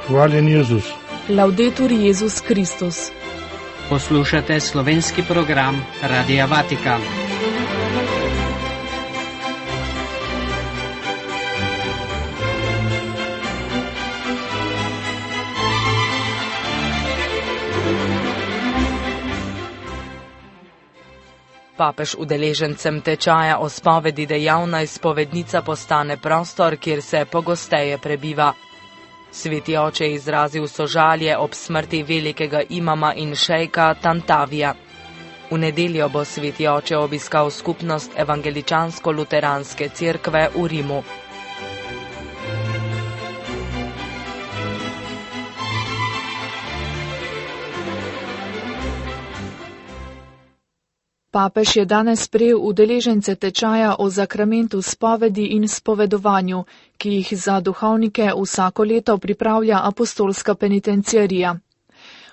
Hvaljen Jezus. Laudetur Jezus Kristus. Poslušate slovenski program Radia Vatikan. Papež udeležencem tečaja o spovedi dejavna izpovednica postane prostor, kjer se pogosteje prebiva. Sveti oče je izrazil sožalje ob smrti velikega imama in šejka Tantavija. V nedeljo bo sveti oče obiskal skupnost evangeličansko-luteranske cerkve v Rimu. Papež je danes sprejel udeležence tečaja o zakramentu spovedi in spovedovanju, ki jih za duhovnike vsako leto pripravlja apostolska penitenciarija.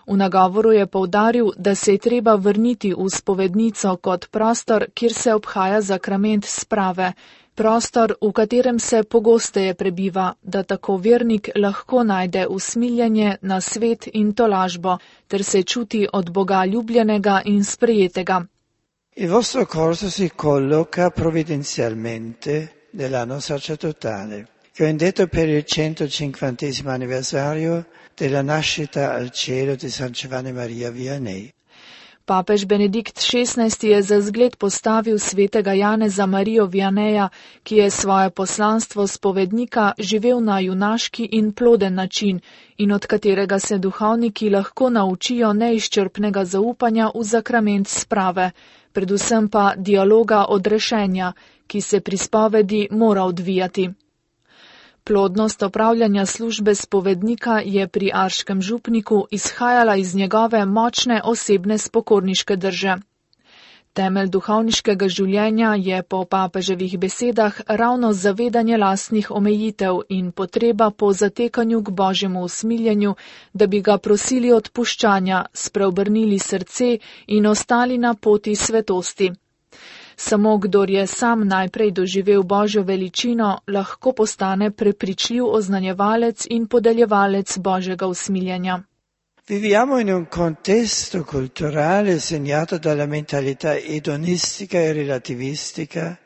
V nagovoru je poudaril, da se je treba vrniti v spovednico kot prostor, kjer se obhaja zakrament sprave, prostor, v katerem se pogosteje prebiva, da tako vernik lahko najde usmiljanje na svet in tolažbo, ter se čuti od Boga ljubljenega in sprejetega. Il vostro corso si colloca provvidenzialmente nell'anno sacerdotale, che ho indetto per il 150° anniversario della nascita al cielo di San Giovanni Maria Vianney. Papež Benedikt XVI je za zgled postavil svetega Janeza Marijo Vianneja, ki je svoje poslanstvo spovednika živel na junaški in ploden način in od katerega se duhovniki lahko naučijo neizčrpnega zaupanja v zakrament sprave, predvsem pa dialoga odrešenja, ki se pri spovedi mora odvijati. Plodnost opravljanja službe spovednika je pri arškem župniku izhajala iz njegove močne osebne spokorniške drže. Temelj duhovniškega življenja je po papeževih besedah ravno zavedanje lastnih omejitev in potreba po zatekanju k Božjemu usmiljenju, da bi ga prosili odpuščanja, spreobrnili srce in ostali na poti svetosti. Samo kdor je sam najprej doživel Božjo veličino, lahko postane prepričljiv oznanjevalec in podeljevalec Božjega usmiljenja. Viviamo in un contesto culturale segnato dalla mentalità edonistica e relativistica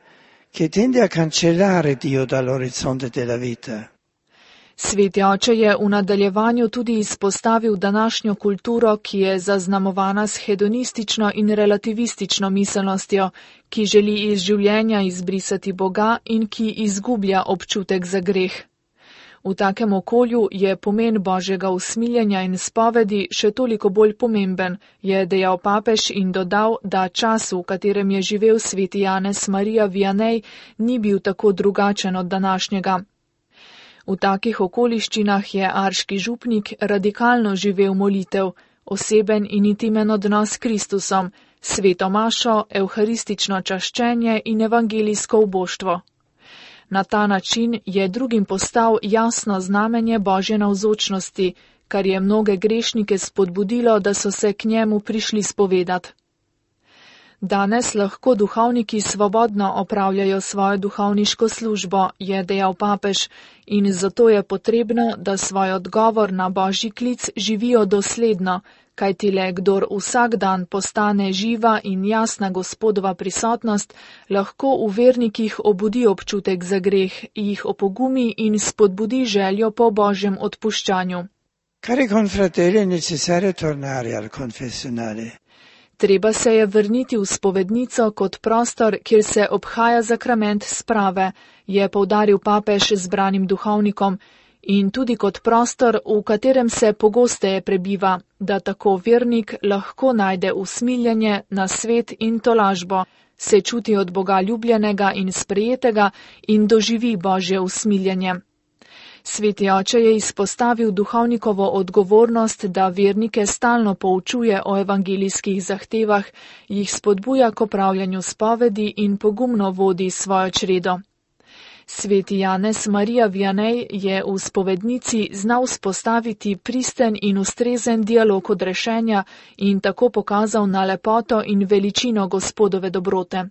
che tende a cancellare Dio dall'orizzonte della vita. Sveti oče je v nadaljevanju tudi izpostavil današnjo kulturo, ki je zaznamovana s hedonistično in relativistično miselnostjo, ki želi iz življenja izbrisati Boga in ki izgublja občutek za greh. V takem okolju je pomen Božjega usmiljenja in spovedi še toliko bolj pomemben, je dejal papež in dodal, da čas, v katerem je živel sveti Janez Marija Vianney, ni bil tako drugačen od današnjega. V takih okoliščinah je arški župnik radikalno živel molitev, oseben in intimen odnos s Kristusom, sveto mašo, evharistično čaščenje in evangelijsko uboštvo. Na ta način je drugim postal jasno znamenje Božje navzočnosti, kar je mnoge grešnike spodbudilo, da so se k njemu prišli spovedati. Danes lahko duhovniki svobodno opravljajo svojo duhovniško službo, je dejal papež, in zato je potrebno, da svoj odgovor na Božji klic živijo dosledno, kajti le kdor vsak dan postane živa in jasna Gospodova prisotnost, lahko v vernikih obudi občutek za greh, jih opogumi in spodbudi željo po Božjem odpuščanju. Cari confratelli, è necessario tornare al confessionale. Treba se je vrniti v spovednico kot prostor, kjer se obhaja zakrament sprave, je poudaril papež zbranim duhovnikom, in tudi kot prostor, v katerem se pogosteje prebiva, da tako vernik lahko najde usmiljenje na svet in tolažbo, se čuti od Boga ljubljenega in sprejetega in doživi Božje usmiljenje. Sveti oče je izpostavil duhovnikovo odgovornost, da vernike stalno poučuje o evangelijskih zahtevah, jih spodbuja k opravljanju spovedi in pogumno vodi svojo čredo. Sveti Janez Marija Vianney je v spovednici znal vzpostaviti pristen in ustrezen dialog odrešenja in tako pokazal na lepoto in veličino Gospodove dobrote.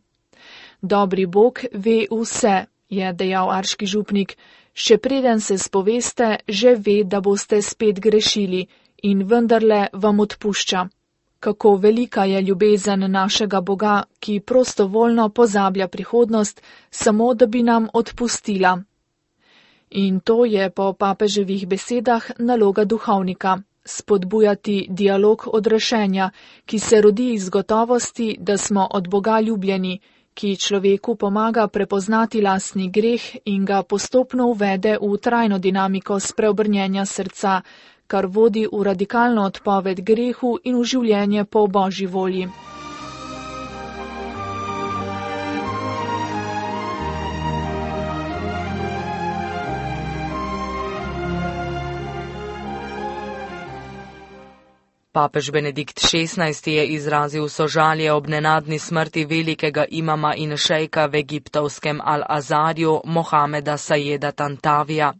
Dobri Bog ve vse, je dejal arški župnik, Še preden se spoveste, že ve, da boste spet grešili in vendarle vam odpušča. Kako velika je ljubezen našega Boga, ki prostovoljno pozablja prihodnost, samo da bi nam odpustila. In to je po papeževih besedah naloga duhovnika, spodbujati dialog odrešenja, ki se rodi iz gotovosti, da smo od Boga ljubljeni, ki človeku pomaga prepoznati lastni greh in ga postopno uvede v trajno dinamiko spreobrnjenja srca, kar vodi v radikalno odpoved grehu in v življenje po Božji volji. Papež Benedikt XVI je izrazil sožalje ob nenadni smrti velikega imama in šejka v egiptovskem Al-Azarju Mohameda Sajeda Tantavija.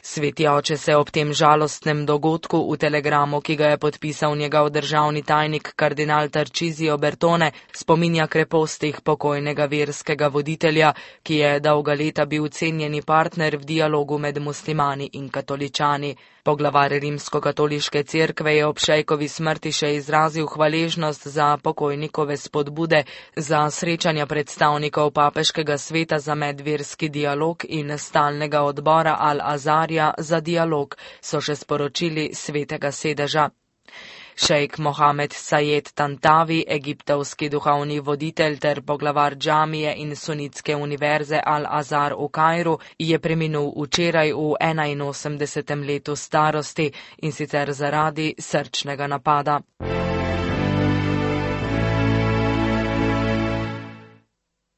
Sveti oče se ob tem žalostnem dogodku v telegramu, ki ga je podpisal njegov državni tajnik kardinal Tarcísio Bertone, spominja krepostih pokojnega verskega voditelja, ki je dolga leta bil cenjeni partner v dialogu med muslimani in katoličani. Poglavar Rimsko-katoliške cerkve je ob šejkovi smrti še izrazil hvaležnost za pokojnikove spodbude, za srečanja predstavnikov papeškega sveta za medverski dialog in stalnega odbora Al-Azarja za dialog, so še sporočili svetega sedeža. Šejk Mohamed Sajed Tantavi, egiptovski duhovni voditelj ter poglavar džamije in sunitske univerze Al-Azar v Kairu, je preminul včeraj v 81. letu starosti in sicer zaradi srčnega napada.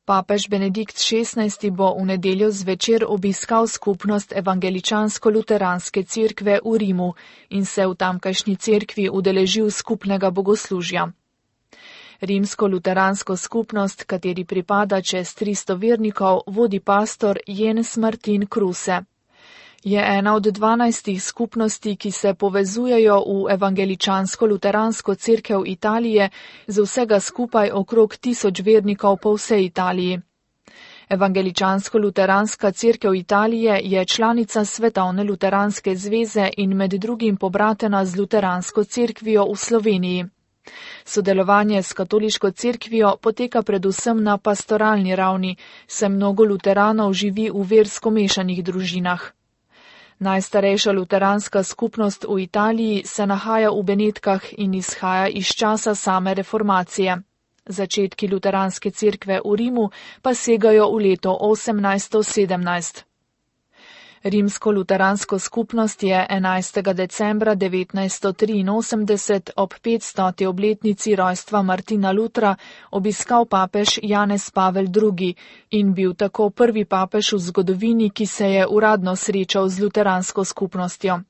Papež Benedikt XVI bo v nedeljo zvečer obiskal skupnost evangeličansko-luteranske cerkve v Rimu in se v tamkajšnji cerkvi udeležil skupnega bogoslužja. Rimsko-luteransko skupnost, kateri pripada čez 300 vernikov, vodi pastor Jens Martin Kruse. Je ena od 12 skupnosti, ki se povezujejo v evangeličansko-luteransko cerkev Italije z vsega skupaj okrog 1000 vernikov po vsej Italiji. Evangeličansko-luteranska cerkev Italije je članica Svetovne luteranske zveze in med drugim pobratena z luteransko cerkvijo v Sloveniji. Sodelovanje s katoliško cerkvijo poteka predvsem na pastoralni ravni, saj mnogo luteranov živi v versko mešanih družinah. Najstarejša luteranska skupnost v Italiji se nahaja v Benetkah in izhaja iz časa same reformacije. Začetki luteranske cerkve v Rimu pa segajo v leto 1817. Rimsko-luteransko skupnost je 11. decembra 1983 ob 500. obletnici rojstva Martina Lutra obiskal papež Janez Pavel II. In bil tako prvi papež v zgodovini, ki se je uradno srečal z luteransko skupnostjo.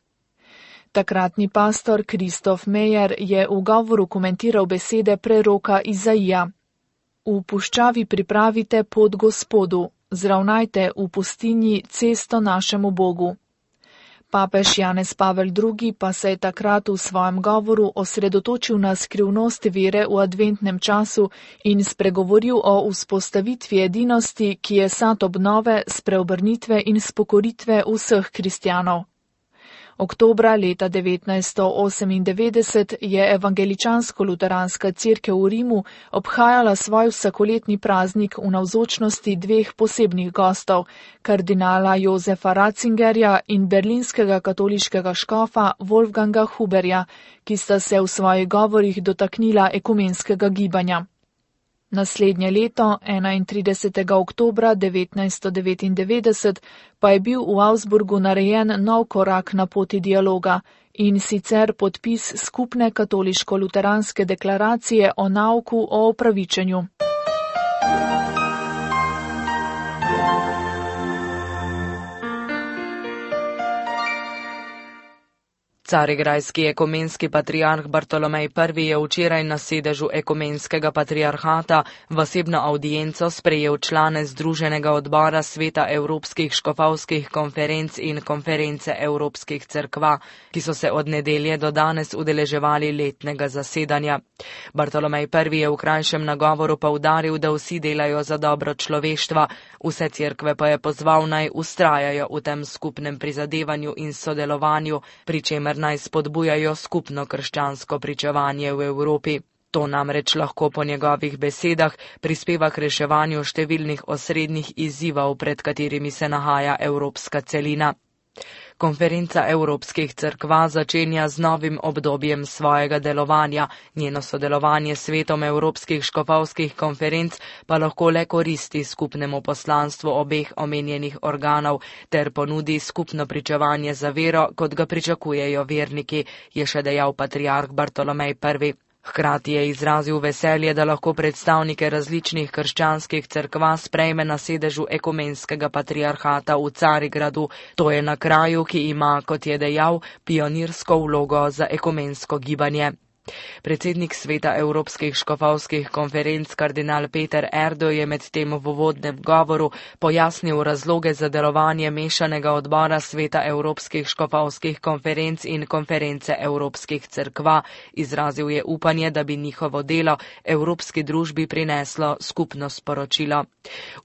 Takratni pastor Kristof Mejer je v govoru komentiral besede preroka Izaija. V puščavi pripravite pot Gospodu. Zravnajte v pustinji cesto našemu Bogu. Papež Janez Pavel II. Pa se je takrat v svojem govoru osredotočil na skrivnost vere v adventnem času in spregovoril o vzpostavitvi edinosti, ki je sad obnove, spreobrnitve in spokoritve vseh kristjanov. Oktobra leta 1998 je evangeličansko-luteranska cerkev v Rimu obhajala svoj vsakoletni praznik v navzočnosti dveh posebnih gostov, kardinala Jozefa Ratzingerja in berlinskega katoliškega škofa Wolfganga Huberja, ki sta se v svojih govorih dotaknila ekumenskega gibanja. Naslednje leto, 31. oktobra 1999, pa je bil v Augsburgu narejen nov korak na poti dialoga, in sicer podpis skupne katoliško-luteranske deklaracije o nauku o opravičenju. Carigrajski ekumenski patriarh Bartolomej I je včeraj na sedežu ekumenskega patriarhata v osebno avdienco sprejel člane Združenega odbora Sveta Evropskih škofovskih konferenc in Konference Evropskih cerkva, ki so se od nedelje do danes udeleževali letnega zasedanja. Bartolomej I je v krajšem nagovoru poudaril, da vsi delajo za dobro človeštva, vse cerkve pa je pozval naj vztrajajo v tem skupnem prizadevanju in sodelovanju, pri čemer naj spodbujajo skupno krščansko pričevanje v Evropi. To namreč lahko po njegovih besedah prispeva k reševanju številnih osrednjih izzivov, pred katerimi se nahaja evropska celina. Konferenca Evropskih cerkva začenja z novim obdobjem svojega delovanja, njeno sodelovanje s svetom Evropskih škofovskih konferenc pa lahko le koristi skupnemu poslanstvu obeh omenjenih organov ter ponudi skupno pričevanje za vero, kot ga pričakujejo verniki, je še dejal patriarh Bartolomej I. Hkrati je izrazil veselje, da lahko predstavnike različnih krščanskih cerkva sprejme na sedežu ekumenskega patriarhata v Carigradu. To je na kraju, ki ima, kot je dejal, pionirsko vlogo za ekumensko gibanje. Predsednik sveta Evropskih škofovskih konferenc kardinal Peter Erdo je medtem v uvodnem govoru pojasnil razloge za delovanje mešanega odbora sveta Evropskih škofovskih konferenc in Konference Evropskih cerkva. Izrazil je upanje, da bi njihovo delo evropski družbi prineslo skupno sporočilo.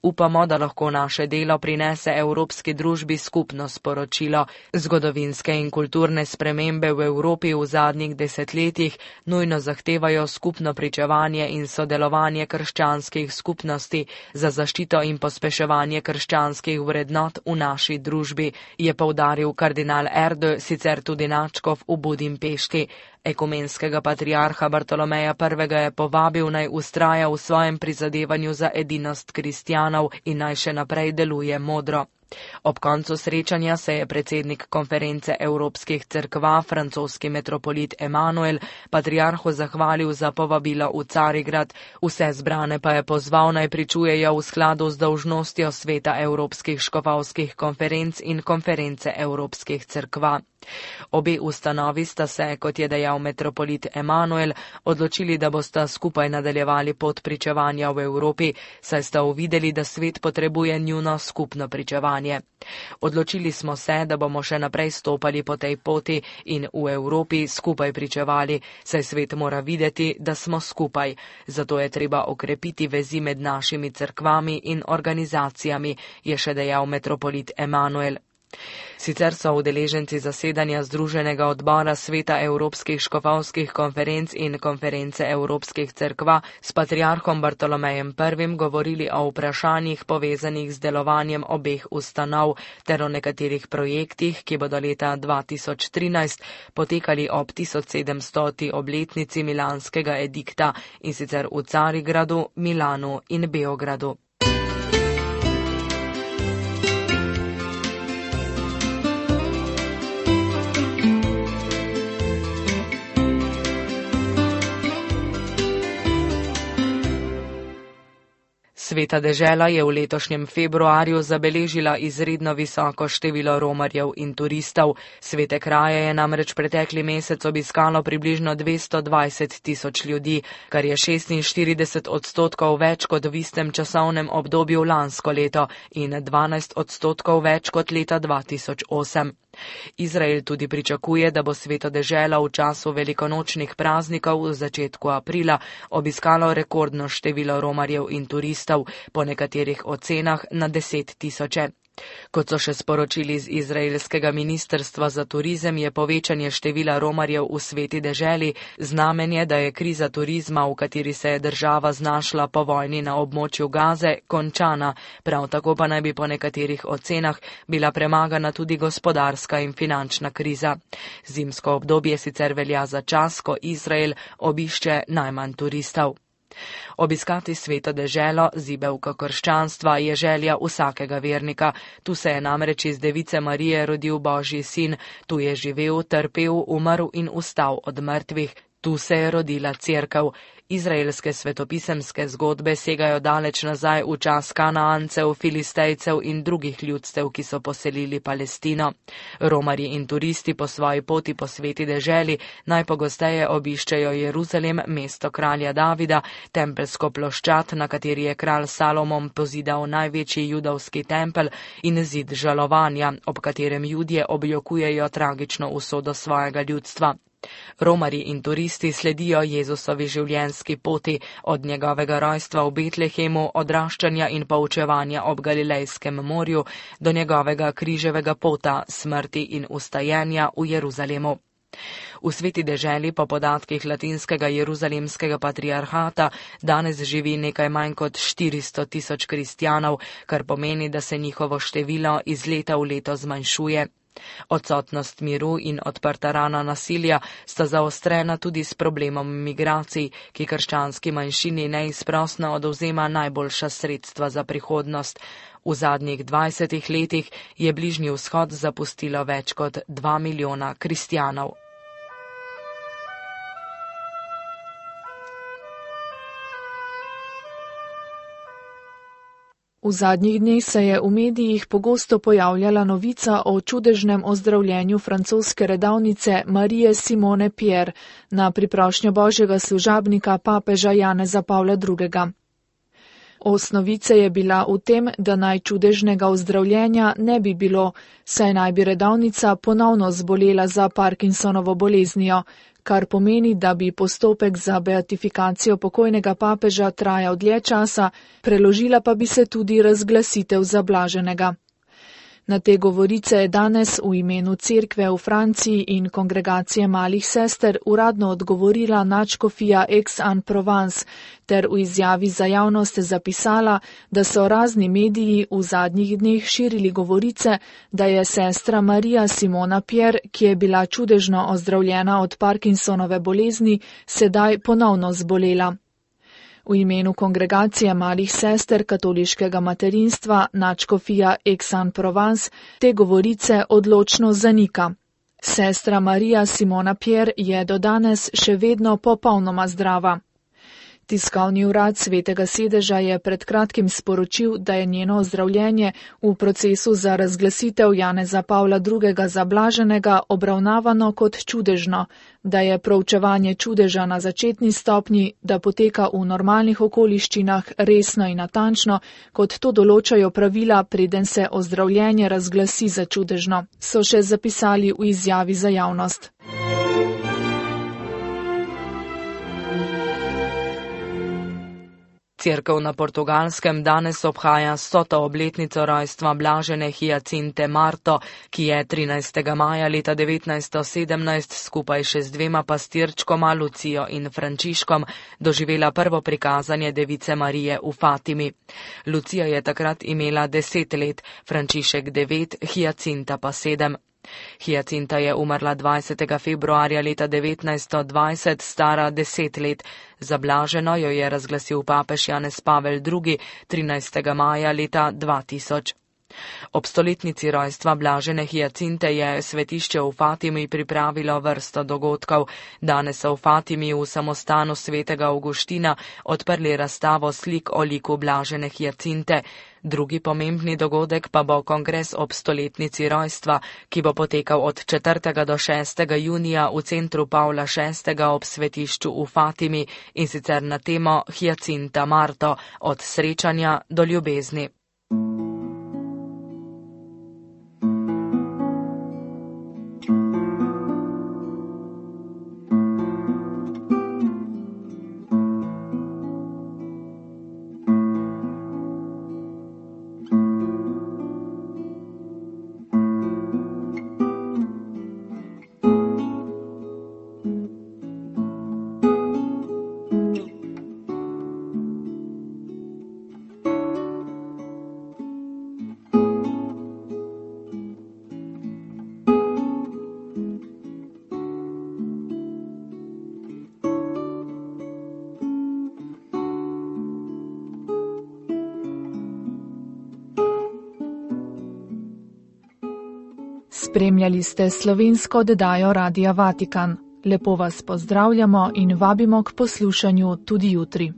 Upamo, da lahko naše delo prinese evropski družbi skupno sporočilo. Zgodovinske in kulturne spremembe v Evropi v zadnjih desetletjih nujno zahtevajo skupno pričevanje in sodelovanje krščanskih skupnosti za zaščito in pospeševanje krščanskih vrednot v naši družbi, je poudaril kardinal Erdo, sicer tudi nadškof v Budimpešti. Ekumenskega patriarha Bartolomeja I je povabil, naj vztraja v svojem prizadevanju za edinost kristjanov in naj še naprej deluje modro. Ob koncu srečanja se je predsednik Konference Evropskih cerkva, francoski metropolit Emanuel, patriarhu zahvalil za povabilo v Carigrad, vse zbrane pa je pozval, naj pričujejo v skladu z dolžnostjo sveta Evropskih škofovskih konferenc in Konference Evropskih cerkva. Obe ustanovi sta se, kot je dejal metropolit Emanuel, odločili, da bosta skupaj nadaljevali pot pričevanja v Evropi, saj sta uvideli, da svet potrebuje njuno skupno pričevanje. Odločili smo se, da bomo še naprej stopali po tej poti in v Evropi skupaj pričevali, saj svet mora videti, da smo skupaj. Zato je treba okrepiti vezi med našimi cerkvami in organizacijami, je še dejal metropolit Emanuel. Sicer so udeleženci zasedanja Združenega odbora sveta Evropskih škofovskih konferenc in Konference Evropskih cerkva s patriarhom Bartolomejem I govorili o vprašanjih povezanih z delovanjem obeh ustanov ter o nekaterih projektih, ki bodo leta 2013 potekali ob 1700. obletnici milanskega edikta, in sicer v Carigradu, Milanu in Beogradu. Sveta dežela je v letošnjem februarju zabeležila izredno visoko število romarjev in turistov. Svete kraje je namreč pretekli mesec obiskalo približno 220 tisoč ljudi, kar je 46% več kot v istem časovnem obdobju lansko leto in 12% več kot leta 2008. Izrael tudi pričakuje, da bo sveto dežela v času velikonočnih praznikov v začetku aprila obiskalo rekordno število romarjev in turistov, po nekaterih ocenah na 10 tisoče. Kot so še sporočili z izraelskega ministrstva za turizem, je povečanje števila romarjev v sveti deželi znamenje, da je kriza turizma, v kateri se je država znašla po vojni na območju Gaze, končana. Prav tako pa naj bi po nekaterih ocenah bila premagana tudi gospodarska in finančna kriza. Zimsko obdobje sicer velja za čas, ko Izrael obišče najmanj turistov. Obiskati sveto deželo, zibelko krščanstva, je želja vsakega vernika. Tu se je namreč iz device Marije rodil Božji sin, tu je živel, trpel, umrl in vstal od mrtvih. Tu se je rodila cerkev. Izraelske svetopisemske zgodbe segajo daleč nazaj v čas Kanaancev, Filistejcev in drugih ljudstev, ki so poselili Palestino. Romarji in turisti po svoji poti po sveti deželi najpogosteje obiščejo Jeruzalem, mesto kralja Davida, tempelsko ploščad, na kateri je kralj Salomon pozidal največji judovski tempelj, in zid žalovanja, ob katerem Judje objokujejo tragično usodo svojega ljudstva. Romarji in turisti sledijo Jezusovi življenjski poti od njegovega rojstva v Betlehemu, odraščanja in poučevanja ob Galilejskem morju do njegovega križevega pota, smrti in vstajenja v Jeruzalemu. V sveti deželi po podatkih latinskega jeruzalemskega patriarhata danes živi nekaj manj kot 400 000 kristjanov, kar pomeni, da se njihovo število iz leta v leto zmanjšuje. Odsotnost miru in odprta rana nasilja sta zaostrena tudi s problemom migracij, ki krščanski manjšini neizprosno odvzema najboljša sredstva za prihodnost. V zadnjih 20 letih je Bližnji vzhod zapustilo več kot 2 milijona kristjanov. V zadnjih dneh se je v medijih pogosto pojavljala novica o čudežnem ozdravljenju francoske redavnice Marije Simone Pierre na priprošnjo božjega služabnika papeža Janeza Pavla II. Osnovica je bila v tem, da naj čudežnega ozdravljenja ne bi bilo, saj naj bi redavnica ponovno zbolela za Parkinsonovo boleznijo, kar pomeni, da bi postopek za beatifikacijo pokojnega papeža trajal dlje časa, preložila pa bi se tudi razglasitev za blaženega. Na te govorice je danes v imenu cerkve v Franciji in kongregacije malih sester uradno odgovorila nadškofija Aix-en-Provence ter v izjavi za javnost zapisala, da so razni mediji v zadnjih dneh širili govorice, da je sestra Marija Simona Pierre, ki je bila čudežno ozdravljena od Parkinsonove bolezni, sedaj ponovno zbolela. V imenu kongregacije malih sester katoliškega materinstva nadškofija Aix-en-Provence te govorice odločno zanika. Sestra Marija Simona Pierre je do danes še vedno popolnoma zdrava. Tiskovni urad Svetega sedeža je pred kratkim sporočil, da je njeno ozdravljenje v procesu za razglasitev Janeza Pavla II. Za blaženega obravnavano kot čudežno, da je proučevanje čudeža na začetni stopnji, da poteka v normalnih okoliščinah resno in natančno, kot to določajo pravila, preden se ozdravljenje razglasi za čudežno, so še zapisali v izjavi za javnost. Cerkev na Portugalskem danes obhaja 100. obletnico rojstva blažene Hiacinte Marto, ki je 13. maja leta 1917 skupaj še z 2 pastirčkoma, Lucijo in Frančiškom, doživela prvo prikazanje Device Marije v Fatimi. Lucija je takrat imela 10 let, Frančišek 9, Hiacinta pa 7. Hiacinta je umrla 20. februarja leta 1920, stara 10 let. Za blaženo jo je razglasil papež Janez Pavel II. 13. maja leta 2000. Ob stoletnici rojstva blažene Hiacinte je svetišče v Fatimi pripravilo vrsto dogodkov. Danes so v Fatimi v samostanu svetega Avguština odprli razstavo slik o liku blažene Hiacinte. Drugi pomembni dogodek pa bo kongres ob stoletnici rojstva, ki bo potekal od 4. do 6. junija v centru Pavla VI. Ob svetišču v Fatimi, in sicer na temo Hiacinta Marto, od srečanja do ljubezni. Spremljali ste slovensko oddajo Radia Vatikan. Lepo vas pozdravljamo in vabimo k poslušanju tudi jutri.